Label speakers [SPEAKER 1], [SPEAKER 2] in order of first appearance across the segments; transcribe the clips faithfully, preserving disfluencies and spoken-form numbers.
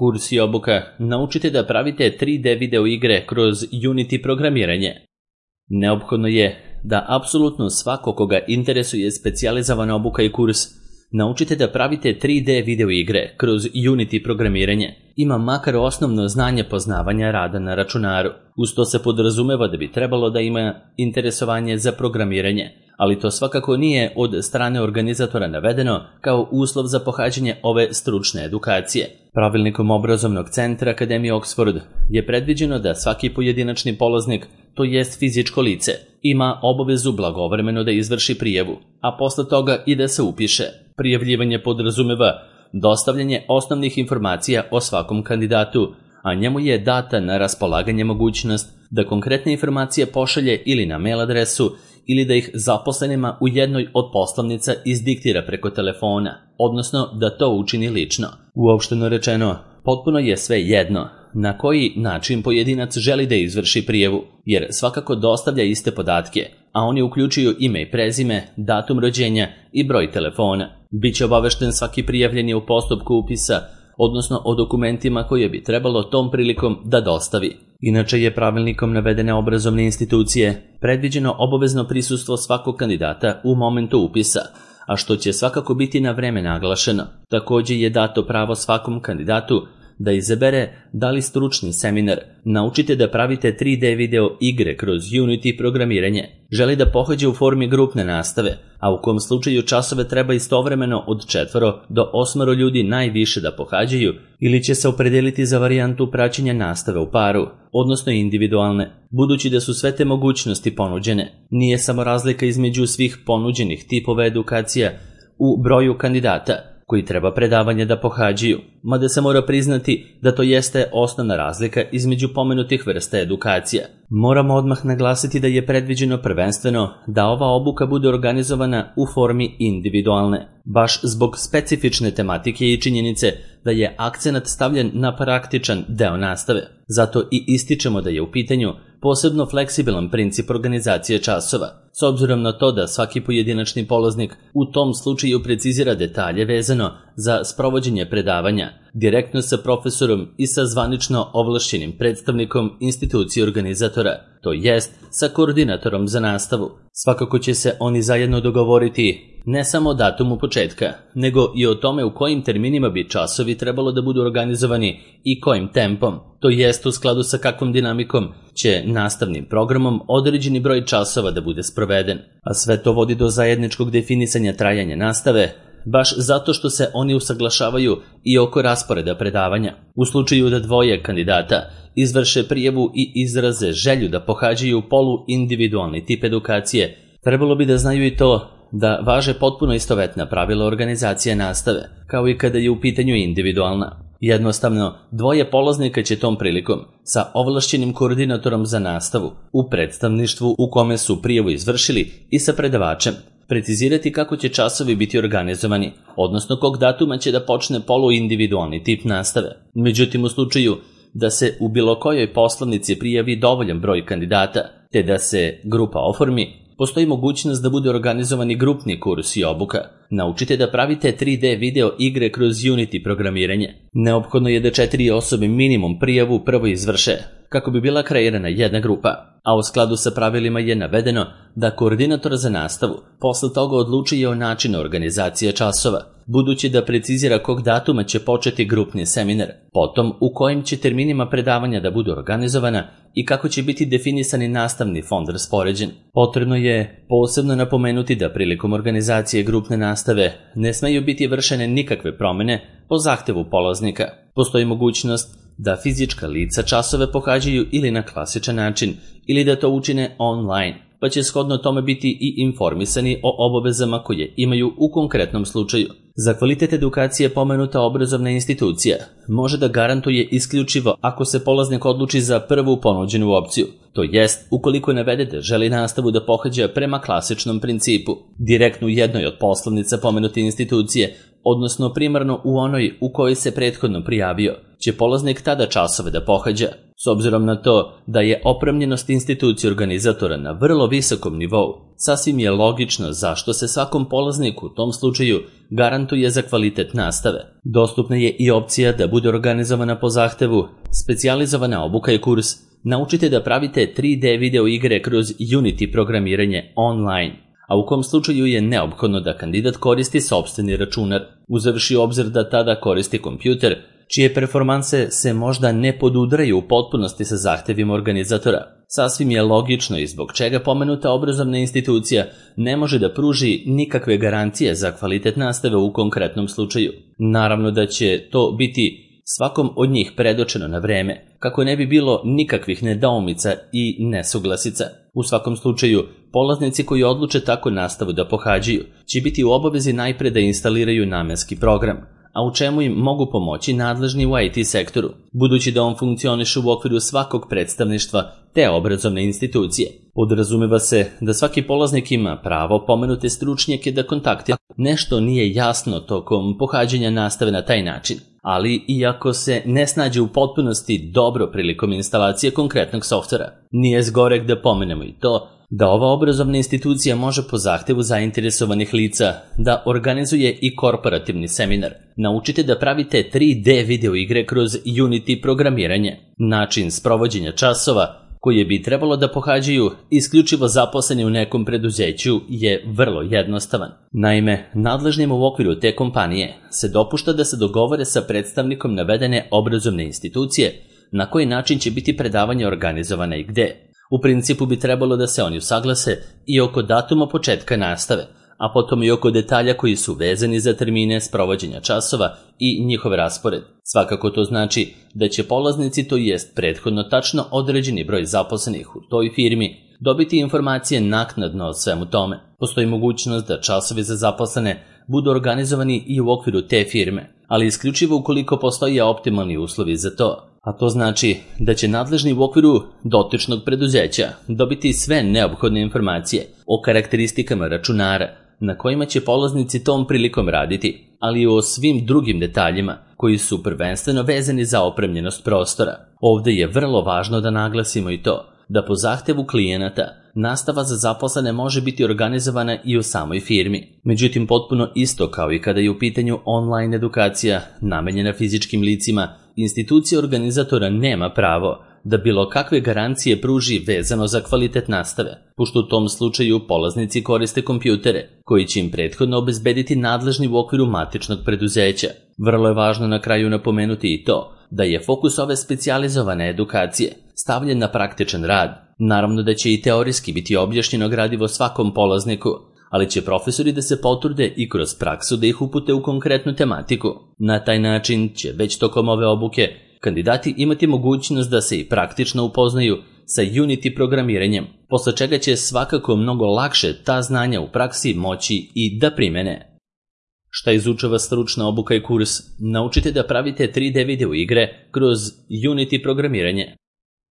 [SPEAKER 1] Kurs i obuka Naučite da pravite tri D video igre kroz Unity programiranje. Neophodno je da apsolutno svako koga interesuje specijalizovana obuka i kurs Naučite da pravite tri D video igre kroz Unity programiranje ima makar osnovno znanje poznavanja rada na računaru. Uz to se podrazumeva da bi trebalo da ima interesovanje za programiranje, ali to svakako nije od strane organizatora navedeno kao uslov za pohađanje ove stručne edukacije. Pravilnikom obrazovnog centra Akademije Oxford je predviđeno da svaki pojedinačni polaznik, to jest fizičko lice, ima obavezu blagovremeno da izvrši prijavu, a posle toga i da se upiše. Prijavljivanje podrazumeva dostavljanje osnovnih informacija o svakom kandidatu, a njemu je data na raspolaganje mogućnost da konkretne informacije pošalje ili na mail adresu ili da ih zaposlenima u jednoj od poslovnica izdiktira preko telefona, odnosno da to učini lično. Uopšteno rečeno, potpuno je sve jedno na koji način pojedinac želi da izvrši prijavu, jer svakako dostavlja iste podatke, a oni uključuju ime i prezime, datum rođenja i broj telefona. Biće obavešten svaki prijavljeni u postupku upisa, odnosno o dokumentima koje bi trebalo tom prilikom da dostavi. Inače je pravilnikom navedene obrazovne institucije predviđeno obavezno prisustvo svakog kandidata u momentu upisa, a što će svakako biti na vreme naglašeno. Također je dato pravo svakom kandidatu da izabere da li stručni seminar Naučite da pravite tri D video igre kroz Unity programiranje želi da pohađe u formi grupne nastave, a u kom slučaju časove treba istovremeno od četvoro do osmoro ljudi najviše da pohađaju, ili će se opredeliti za varijantu praćenja nastave u paru, odnosno individualne. Budući da su sve te mogućnosti ponuđene, nije samo razlika između svih ponuđenih tipova edukacija u broju kandidata koji treba predavanje da pohađaju, mada se mora priznati da to jeste osnovna razlika između pomenutih vrsta edukacija. Moramo odmah naglasiti da je predviđeno prvenstveno da ova obuka bude organizovana u formi individualne, baš zbog specifične tematike i činjenice da je akcenat stavljen na praktičan deo nastave. Zato i ističemo da je u pitanju posebno fleksibilan princip organizacije časova, s obzirom na to da svaki pojedinačni polaznik u tom slučaju precizira detalje vezano za sprovođenje predavanja, direktno sa profesorom i sa zvanično ovlašćenim predstavnikom institucije organizatora, to jest sa koordinatorom za nastavu. Svakako će se oni zajedno dogovoriti ne samo o datumu početka, nego i o tome u kojim terminima bi časovi trebalo da budu organizovani i kojim tempom, to jest u skladu sa kakvom dinamikom će nastavnim programom određeni broj časova da bude sproveden. A sve to vodi do zajedničkog definisanja trajanja nastave, baš zato što se oni usaglašavaju i oko rasporeda predavanja. U slučaju da dvoje kandidata izvrše prijavu i izraze želju da pohađaju polu individualni tip edukacije, trebalo bi da znaju i to da važe potpuno istovetna pravila organizacije nastave, kao i kada je u pitanju individualna. Jednostavno, dvoje polaznika će tom prilikom sa ovlašćenim koordinatorom za nastavu u predstavništvu u kome su prijavu izvršili i sa predavačem precizirati kako će časovi biti organizovani, odnosno kog datuma će da počne poluindividualni tip nastave. Međutim, u slučaju da se u bilo kojoj poslovnici prijavi dovoljan broj kandidata, te da se grupa oformi, postoji mogućnost da bude organizovani grupni kurs i obuka. Naučite da pravite tri D video igre kroz Unity programiranje. Neophodno je da četiri osobe minimum prijavu prvo izvrše, kako bi bila kreirana jedna grupa, a u skladu sa pravilima je navedeno da koordinator za nastavu posle toga odlučuje o načinu organizacije časova, budući da precizira kog datuma će početi grupni seminar, potom u kojim će terminima predavanja da budu organizovana i kako će biti definisani nastavni fond raspoređen. Potrebno je posebno napomenuti da prilikom organizacije grupne nastave ne smeju biti vršene nikakve promene po zahtevu polaznika. Postoji mogućnost da fizička lica časove pohađaju ili na klasičan način ili da to učine online, pa će shodno tome biti i informisani o obavezama koje imaju u konkretnom slučaju. Za kvalitet edukacije pomenuta obrazovna institucija može da garantuje isključivo ako se polaznik odluči za prvu ponuđenu opciju, to jest ukoliko navede da želi nastavu da pohađa prema klasičnom principu, direktno u jednoj od poslovnica pomenute institucije, odnosno primarno u onoj u kojoj se prethodno prijavio, će polaznik tada časove da pohađa. S obzirom na to da je opremljenost institucije organizatora na vrlo visokom nivou, sasvim je logično zašto se svakom polazniku u tom slučaju garantuje za kvalitet nastave. Dostupna je i opcija da bude organizovana po zahtevu specijalizovana obuka i kurs Naučite da pravite tri D video igre kroz Unity programiranje online, a u kom slučaju je neophodno da kandidat koristi sopstveni računar, uzevši u obzir da tada koristi kompjuter, čije performanse se možda ne podudaraju u potpunosti sa zahtevima organizatora. Sasvim je logično i zbog čega pomenuta obrazovna institucija ne može da pruži nikakve garancije za kvalitet nastave u konkretnom slučaju. Naravno da će to biti svakom od njih predočeno na vreme, kako ne bi bilo nikakvih nedoumica i nesuglasica. U svakom slučaju, polaznici koji odluče tako nastavu da pohađaju će biti u obavezi najpre da instaliraju namenski program, a u čemu im mogu pomoći nadležni u I T sektoru, budući da on funkcioniše u okviru svakog predstavništva te obrazovne institucije. Podrazumeva se da svaki polaznik ima pravo pomenute stručnjake da kontaktira. Nešto nije jasno tokom pohađanja nastave na taj način, ali iako se ne snađe u potpunosti dobro prilikom instalacije konkretnog softvera, nije zgoreg da pomenemo i to da ova obrazovna institucija može po zahtevu zainteresovanih lica da organizuje i korporativni seminar. Naučite da pravite tri D video igre kroz Unity programiranje. Način sprovođenja časova koje bi trebalo da pohađaju isključivo zaposleni u nekom preduzeću je vrlo jednostavan. Naime, nadležnima u okviru te kompanije se dopušta da se dogovore sa predstavnikom navedene obrazovne institucije na koji način će biti predavanje organizovane i gde. U principu bi trebalo da se oni usaglase i oko datuma početka nastave, a potom i oko detalja koji su vezani za termine sprovođenja časova i njihov raspored. Svakako to znači da će polaznici, to jest prethodno tačno određeni broj zaposlenih u toj firmi, dobiti informacije naknadno o svemu tome. Postoji mogućnost da časovi za zaposlene budu organizovani i u okviru te firme, ali isključivo ukoliko postoje optimalni uslovi za to. A to znači da će nadležni u okviru dotičnog preduzeća dobiti sve neophodne informacije o karakteristikama računara na kojima će polaznici tom prilikom raditi, ali i o svim drugim detaljima koji su prvenstveno vezani za opremljenost prostora. Ovde je vrlo važno da naglasimo i to da po zahtevu klijenata nastava za zaposlene može biti organizovana i u samoj firmi. Međutim, potpuno isto kao i kada je u pitanju online edukacija namenjena fizičkim licima, institucija organizatora nema pravo da bilo kakve garancije pruži vezano za kvalitet nastave, pošto u tom slučaju polaznici koriste kompjutere, koji će im prethodno obezbediti nadležni u okviru matičnog preduzeća. Vrlo je važno na kraju napomenuti i to da je fokus ove specijalizovane edukacije stavljen na praktičan rad. Naravno da će i teorijski biti objašnjeno gradivo svakom polazniku, ali će profesori da se potrude i kroz praksu da ih upute u konkretnu tematiku. Na taj način će već tokom ove obuke kandidati imati mogućnost da se i praktično upoznaju sa Unity programiranjem, posle čega će svakako mnogo lakše ta znanja u praksi moći i da primene. Šta izučava stručna obuka i kurs? Naučite da pravite tri D video igre kroz Unity programiranje.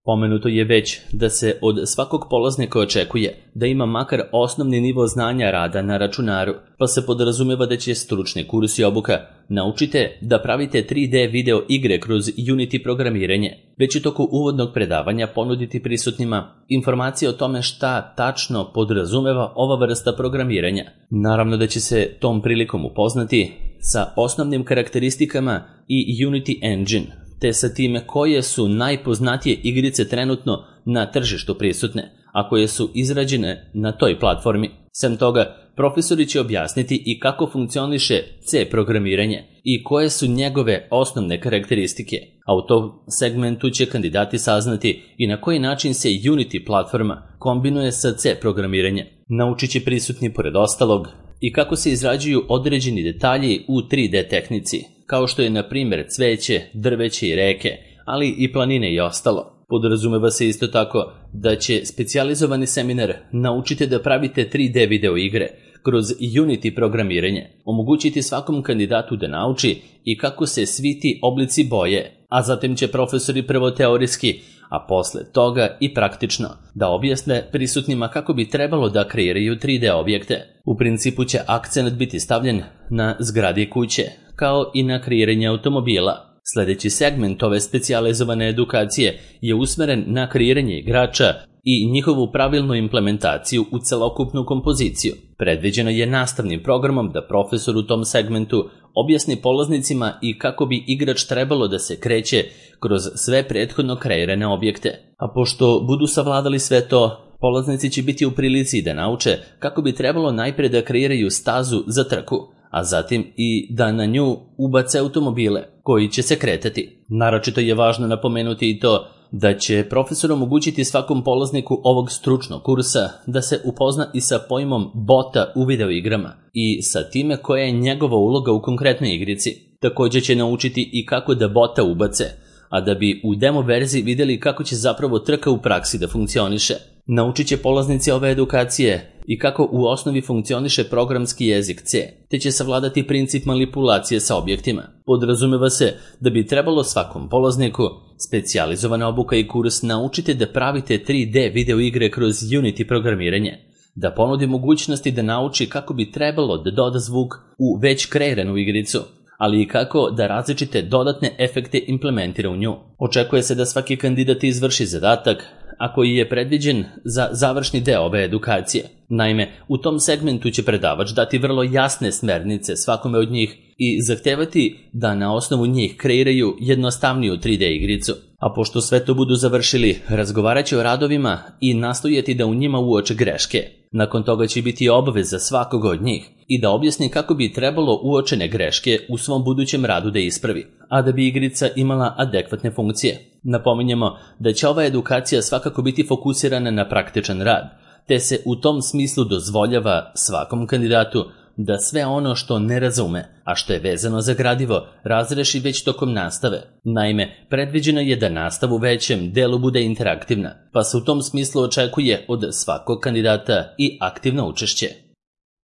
[SPEAKER 1] Pomenuto je već da se od svakog polaznika očekuje da ima makar osnovni nivo znanja rada na računaru, pa se podrazumeva da će stručni kurs i obuka Naučite da pravite tri D video igre kroz Unity programiranje, već u toku uvodnog predavanja ponuditi prisutnima informacije o tome šta tačno podrazumeva ova vrsta programiranja. Naravno da će se tom prilikom upoznati sa osnovnim karakteristikama i Unity Engine, te sa time koje su najpoznatije igrice trenutno na tržištu prisutne, a koje su izrađene na toj platformi. Sem toga, profesori će objasniti i kako funkcioniše C programiranje i koje su njegove osnovne karakteristike, a u tom segmentu će kandidati saznati i na koji način se Unity platforma kombinuje sa C programiranjem. Naučit će prisutni pored ostalog i kako se izrađuju određeni detalji u tri D tehnici, kao što je na primjer cveće, drveće i reke, ali i planine i ostalo. Podrazumeva se isto tako da će specijalizovani seminar Naučite da pravite tri D video igre kroz Unity programiranje omogućiti svakom kandidatu da nauči i kako se svi ti oblici boje, a zatim će profesori prvo teorijski, a posle toga i praktično da objasne prisutnima kako bi trebalo da kreiraju tri D objekte. U principu će akcent biti stavljen na zgradi kuće, kao i na kreiranje automobila. Sljedeći segment ove specijalizovane edukacije je usmeren na kreiranje igrača i njihovu pravilnu implementaciju u celokupnu kompoziciju. Predviđeno je nastavnim programom da profesor u tom segmentu objasni polaznicima i kako bi igrač trebalo da se kreće kroz sve prethodno kreirane objekte. A pošto budu savladali sve to, polaznici će biti u prilici da nauče kako bi trebalo najpre da kreiraju stazu za trku, a zatim i da na nju ubace automobile koji će se kretati. Naročito je važno napomenuti i to da će profesor omogućiti svakom polazniku ovog stručnog kursa da se upozna i sa pojmom bota u videoigrama i sa time koja je njegova uloga u konkretnoj igrici. Također će naučiti i kako da bota ubace, a da bi u demo verziji vidjeli kako će zapravo trka u praksi da funkcioniše. Naučit će polaznici ove edukacije i kako u osnovi funkcioniše programski jezik C, te će savladati princip manipulacije sa objektima. Podrazumeva se da bi trebalo svakom polazniku specijalizovana obuka i kurs naučite da pravite tri D video igre kroz Unity programiranje, da ponudi mogućnosti da nauči kako bi trebalo da doda zvuk u već kreiranu igricu, ali i kako da različite dodatne efekte implementira u nju. Očekuje se da svaki kandidat izvrši zadatak, a koji je predviđen za završni deo ove edukacije. Naime, u tom segmentu će predavač dati vrlo jasne smernice svakome od njih i zahtevati da na osnovu njih kreiraju jednostavniju tri D igricu. A pošto sve to budu završili, razgovarat će o radovima i nastojati da u njima uoče greške. Nakon toga će biti obaveza svakoga od njih i da objasni kako bi trebalo uočene greške u svom budućem radu da ispravi, a da bi igrica imala adekvatne funkcije. Napominjemo da će ova edukacija svakako biti fokusirana na praktičan rad, te se u tom smislu dozvoljava svakom kandidatu da sve ono što ne razume, a što je vezano za gradivo, razreši već tokom nastave. Naime, predviđeno je da nastava u većem delu bude interaktivna, pa se u tom smislu očekuje od svakog kandidata i aktivno učešće.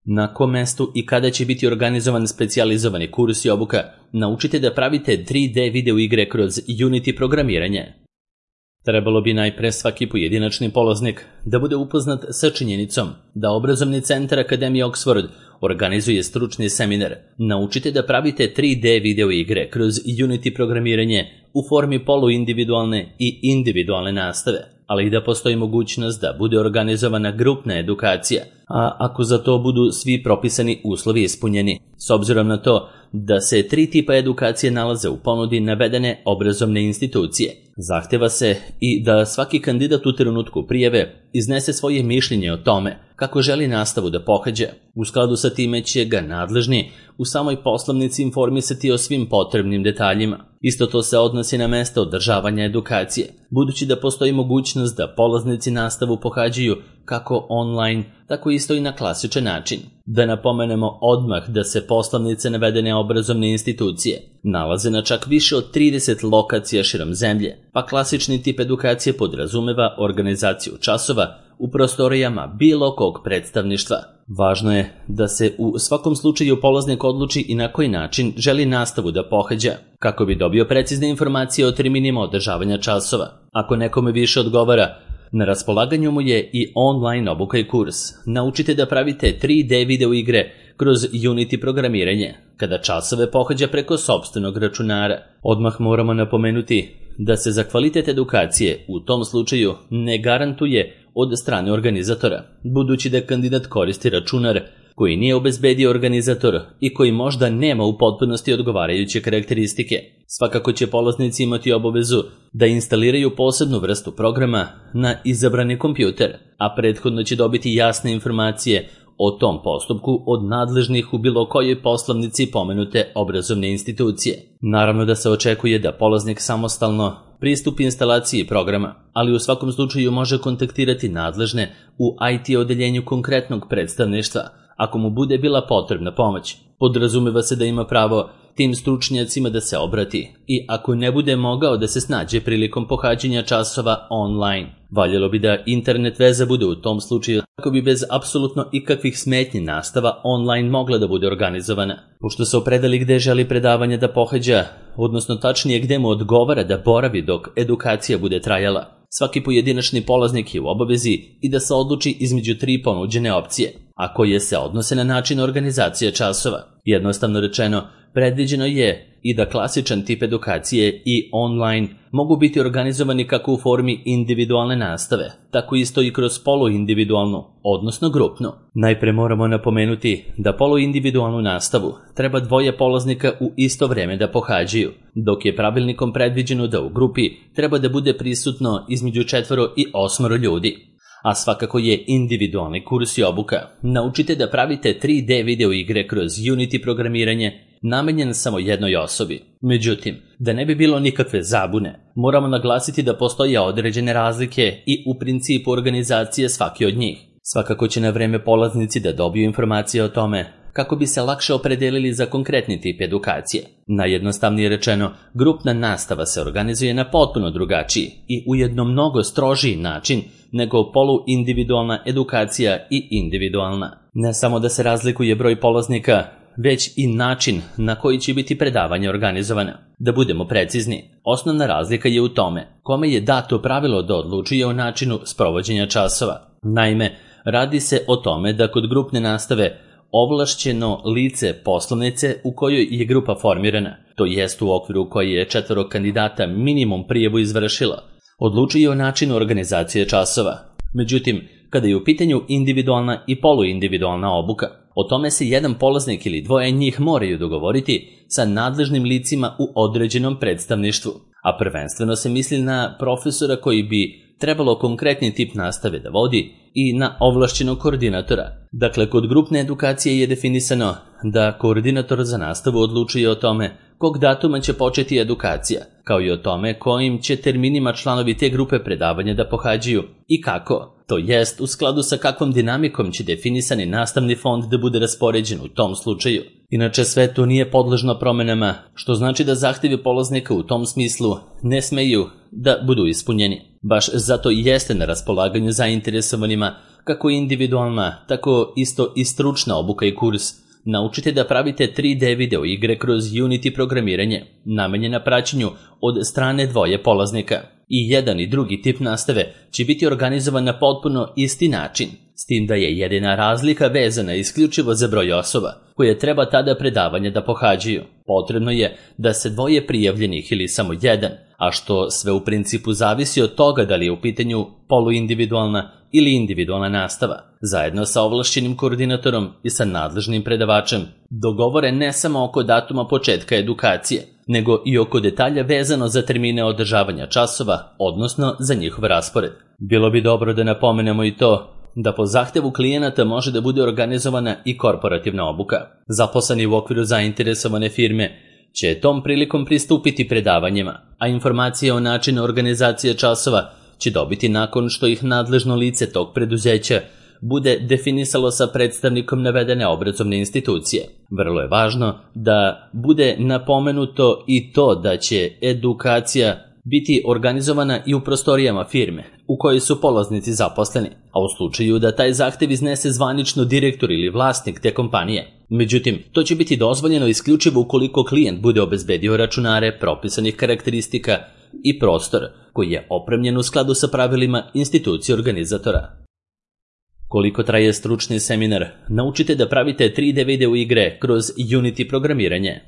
[SPEAKER 1] Na kom mestu i kada će biti organizovan specijalizovani kurs i obuka, naučite da pravite tri D video igre kroz Unity programiranje. Trebalo bi najpre svaki pojedinačni polaznik da bude upoznat sa činjenicom da obrazovni centar Akademije Oxford organizuje stručni seminar. Naučite da pravite tri D video igre kroz Unity programiranje u formi poluindividualne i individualne nastave, ali i da postoji mogućnost da bude organizovana grupna edukacija, a ako za to budu svi propisani uslovi ispunjeni. S obzirom na to da se tri tipa edukacije nalaze u ponudi navedene obrazovne institucije, zahteva se i da svaki kandidat u trenutku prijave iznese svoje mišljenje o tome kako želi nastavu da pohađa. U skladu sa time će ga nadležni u samoj poslovnici informisati o svim potrebnim detaljima. Isto to se odnosi na mesto održavanja edukacije, budući da postoji mogućnost da polaznici nastavu pohađaju kako online, tako isto i na klasičan način. Da napomenemo odmah da se poslovnice navedene obrazovne institucije nalaze na čak više od trideset lokacija širom zemlje, pa klasični tip edukacije podrazumeva organizaciju časova u prostorijama bilo kog predstavništva. Važno je da se u svakom slučaju polaznik odluči i na koji način želi nastavu da pohađa, kako bi dobio precizne informacije o terminima održavanja časova. Ako nekome više odgovara, na raspolaganju mu je i online obuka i kurs. Naučite da pravite tri D video igre kroz Unity programiranje, kada časove pohađa preko sopstvenog računara. Odmah moramo napomenuti da se za kvalitet edukacije u tom slučaju ne garantuje od strane organizatora, budući da kandidat koristi računar koji nije obezbedio organizator i koji možda nema u potpunosti odgovarajuće karakteristike. Svakako će polaznici imati obavezu da instaliraju posebnu vrstu programa na izabrani kompjuter, a prethodno će dobiti jasne informacije o tom postupku od nadležnih u bilo kojoj poslovnici pomenute obrazovne institucije. Naravno da se očekuje da polaznik samostalno pristupi instalaciji programa, ali u svakom slučaju može kontaktirati nadležne u I T odeljenju konkretnog predstavništva ako mu bude bila potrebna pomoć. Podrazumeva se da ima pravo tim stručnjacima da se obrati i ako ne bude mogao da se snađe prilikom pohađanja časova online. Valjalo bi da internet veza bude u tom slučaju kako bi bez apsolutno ikakvih smetnji nastava online mogla da bude organizovana. Pošto se opredeli gde želi predavanje da pohađa, odnosno tačnije gde mu odgovara da boravi dok edukacija bude trajala, svaki pojedinačni polaznik je u obavezi i da se odluči između tri ponuđene opcije, a koje se odnose na način organizacije časova. Jednostavno rečeno, predviđeno je i da klasičan tip edukacije i online mogu biti organizovani kako u formi individualne nastave, tako isto i kroz poluindividualnu, odnosno grupnu. Najpre moramo napomenuti da poluindividualnu nastavu treba dvoje polaznika u isto vreme da pohađaju, dok je pravilnikom predviđeno da u grupi treba da bude prisutno između četvoro i osmoro ljudi. A svakako je individualni kurs i obuka. Naučite da pravite tri D video igre kroz Unity programiranje namenjen samo jednoj osobi. Međutim, da ne bi bilo nikakve zabune, moramo naglasiti da postoje određene razlike i u principu organizacije svake od njih. Svakako će na vreme polaznici da dobiju informacije o tome kako bi se lakše opredelili za konkretni tip edukacije. Najjednostavnije rečeno, grupna nastava se organizuje na potpuno drugačiji i ujedno mnogo strožiji način nego poluindividualna edukacija i individualna. Ne samo da se razlikuje broj polaznika, već i način na koji će biti predavanje organizovana. Da budemo precizni, osnovna razlika je u tome kome je dato pravilo da odlučuje o načinu sprovođenja časova. Naime, radi se o tome da kod grupne nastave ovlašćeno lice poslovnice u kojoj je grupa formirana, to jest u okviru koje je četvoro kandidata minimum prijavu izvršila, odlučuje o načinu organizacije časova. Međutim, kada je u pitanju individualna i poluindividualna obuka, o tome se jedan polaznik ili dvoje njih moraju dogovoriti sa nadležnim licima u određenom predstavništvu, a prvenstveno se misli na profesora koji bi trebalo konkretni tip nastave da vodi i na ovlašćenog koordinatora. Dakle, kod grupne edukacije je definisano da koordinator za nastavu odlučuje o tome kog datuma će početi edukacija, kao i o tome kojim će terminima članovi te grupe predavanja da pohađaju i kako, to jest u skladu sa kakvom dinamikom će definisani nastavni fond da bude raspoređen u tom slučaju. Inače, sve to nije podležno promenama, što znači da zahtevi polaznika u tom smislu ne smeju da budu ispunjeni. Baš zato i jeste na raspolaganju zainteresovanima kako individualna, tako isto i stručna obuka i kurs. Naučite da pravite tri D video igre kroz Unity programiranje, namenjena praćenju od strane dvoje polaznika. I jedan i drugi tip nastave će biti organizovan na potpuno isti način, s tim da je jedina razlika vezana isključivo za broj osoba koje treba tada predavanje da pohađaju. Potrebno je da se dvoje prijavljenih ili samo jedan, a što sve u principu zavisi od toga da li je u pitanju poluindividualna ili individualna nastava, zajedno sa ovlašćenim koordinatorom i sa nadležnim predavačem, dogovore ne samo oko datuma početka edukacije, nego i oko detalja vezano za termine održavanja časova, odnosno za njihov raspored. Bilo bi dobro da napomenemo i to da po zahtevu klijenata može da bude organizovana i korporativna obuka. Zaposleni u okviru zainteresovane firme će tom prilikom pristupiti predavanjima, a informacije o načinu organizacije časova će dobiti nakon što ih nadležno lice tog preduzeća bude definisalo sa predstavnikom navedene obrazovne institucije. Vrlo je važno da bude napomenuto i to da će edukacija biti organizovana i u prostorijama firme u kojoj su polaznici zaposleni, a u slučaju da taj zahtev iznese zvanično direktor ili vlasnik te kompanije. Međutim, to će biti dozvoljeno isključivo ukoliko klijent bude obezbedio računare propisanih karakteristika i prostor koji je opremljen u skladu sa pravilima institucije organizatora. Koliko traje stručni seminar, naučite da pravite tri D video igre kroz Unity programiranje.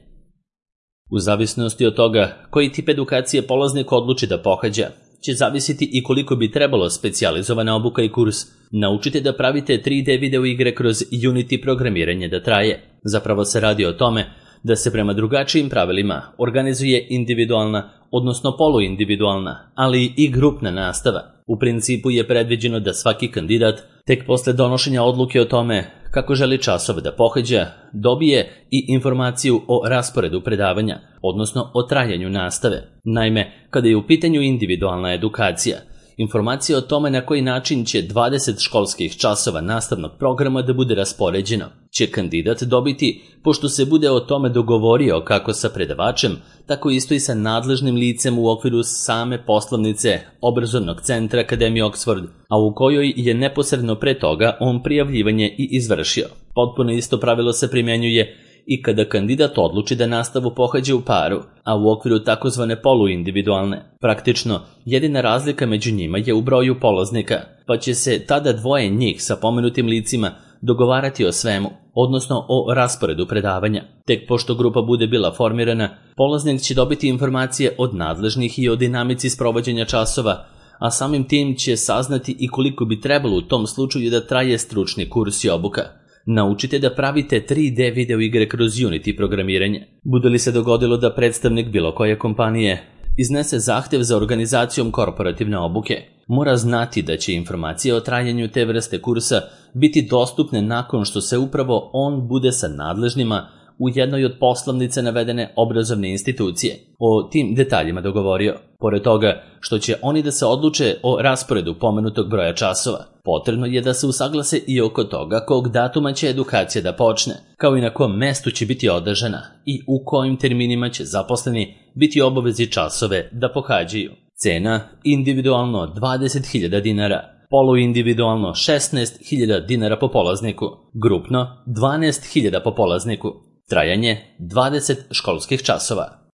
[SPEAKER 1] U zavisnosti od toga koji tip edukacije polaznik odluči da pohađa, će zavisiti i koliko bi trebalo specijalizovana obuka i kurs. Naučite da pravite tri D video igre kroz Unity programiranje da traje. Zapravo se radi o tome da se prema drugačijim pravilima organizuje individualna, odnosno poluindividualna, ali i grupna nastava. U principu je predviđeno da svaki kandidat tek posle donošenja odluke o tome kako želi časove da pohađa, dobije i informaciju o rasporedu predavanja, odnosno o trajanju nastave. Naime, kada je u pitanju individualna edukacija, informacija o tome na koji način će dvadeset školskih časova nastavnog programa da bude raspoređeno, će kandidat dobiti pošto se bude o tome dogovorio kako sa predavačem, tako isto i sa nadležnim licem u okviru same poslovnice obrazovnog centra Akademije Oxford, a u kojoj je neposredno pre toga on prijavljivanje i izvršio. Potpuno isto pravilo se primjenjuje i kada kandidat odluči da nastavu pohađa u paru, a u okviru takozvane poluindividualne. Praktično, jedina razlika među njima je u broju polaznika, pa će se tada dvoje njih sa pomenutim licima dogovarati o svemu. odnosno o rasporedu predavanja. Tek pošto grupa bude bila formirana, polaznik će dobiti informacije od nadležnih i o dinamici sprovođenja časova, a samim tim će saznati i koliko bi trebalo u tom slučaju da traje stručni kurs i obuka. Naučite da pravite tri D video igre kroz Unity programiranje. Bude li se dogodilo da predstavnik bilo koje kompanije iznese zahtev za organizacijom korporativne obuke, mora znati da će informacije o trajanju te vrste kursa biti dostupne nakon što se upravo on bude sa nadležnima u jednoj od poslovnice navedene obrazovne institucije o tim detaljima dogovorio. Pored toga što će oni da se odluče o rasporedu pomenutog broja časova, potrebno je da se usaglase i oko toga kog datuma će edukacija da počne, kao i na kom mestu će biti održana i u kojim terminima će zaposleni biti obavezi časove da pohađaju. Cena individualno dvadeset hiljada dinara, poluindividualno šesnaest hiljada dinara po polazniku, grupno dvanaest hiljada po polazniku. Trajanje dvadeset školskih časova.